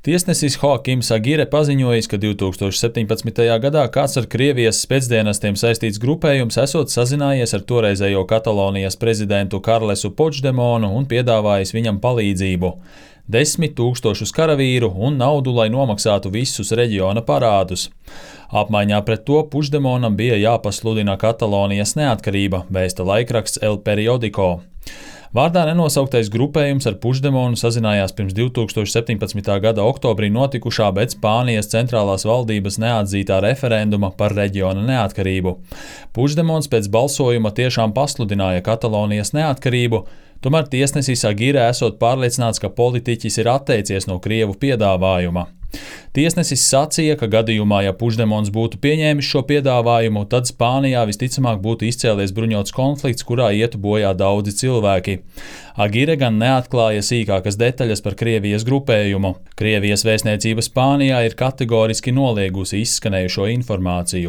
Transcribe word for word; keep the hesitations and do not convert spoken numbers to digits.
Tiesnesis Hoakims Agire paziņojis, ka divi tūkstoši septiņpadsmitajā gadā kāds ar Krievijas spēcdienestiem saistīts grupējums esot sazinājies ar toreizējo Katalonijas prezidentu Karlesu Puigdemonu un piedāvājis viņam palīdzību – desmit tūkstošus karavīru un naudu, lai nomaksātu visus reģiona parādus. Apmaiņā pret to Puigdemonam bija jāpasludina Katalonijas neatkarība, vēsta laikraksts El Periodico. Vārdā nenosauktais grupējums ar Puigdemonu sazinājās pirms divi tūkstoši septiņpadsmitā gada oktobrī notikušā, bet Spānijas centrālās valdības neatzītā referenduma par reģiona neatkarību. Puigdemons pēc balsojuma tiešām pasludināja Katalonijas neatkarību, tomēr tiesnesis Agire esot pārliecināts, ka politiķis ir atteicies no Krievu piedāvājuma. Tiesnesis sacīja, ka gadījumā, ja Puigdemons būtu pieņēmis šo piedāvājumu, tad Spānijā visticamāk būtu izcēlies bruņots konflikts, kurā ietu bojā daudzi cilvēki. Agire gan neatklāja sīkākas detaļas par Krievijas grupējumu. Krievijas vēstniecība Spānijā ir kategoriski noliegusi izskanējušo informāciju.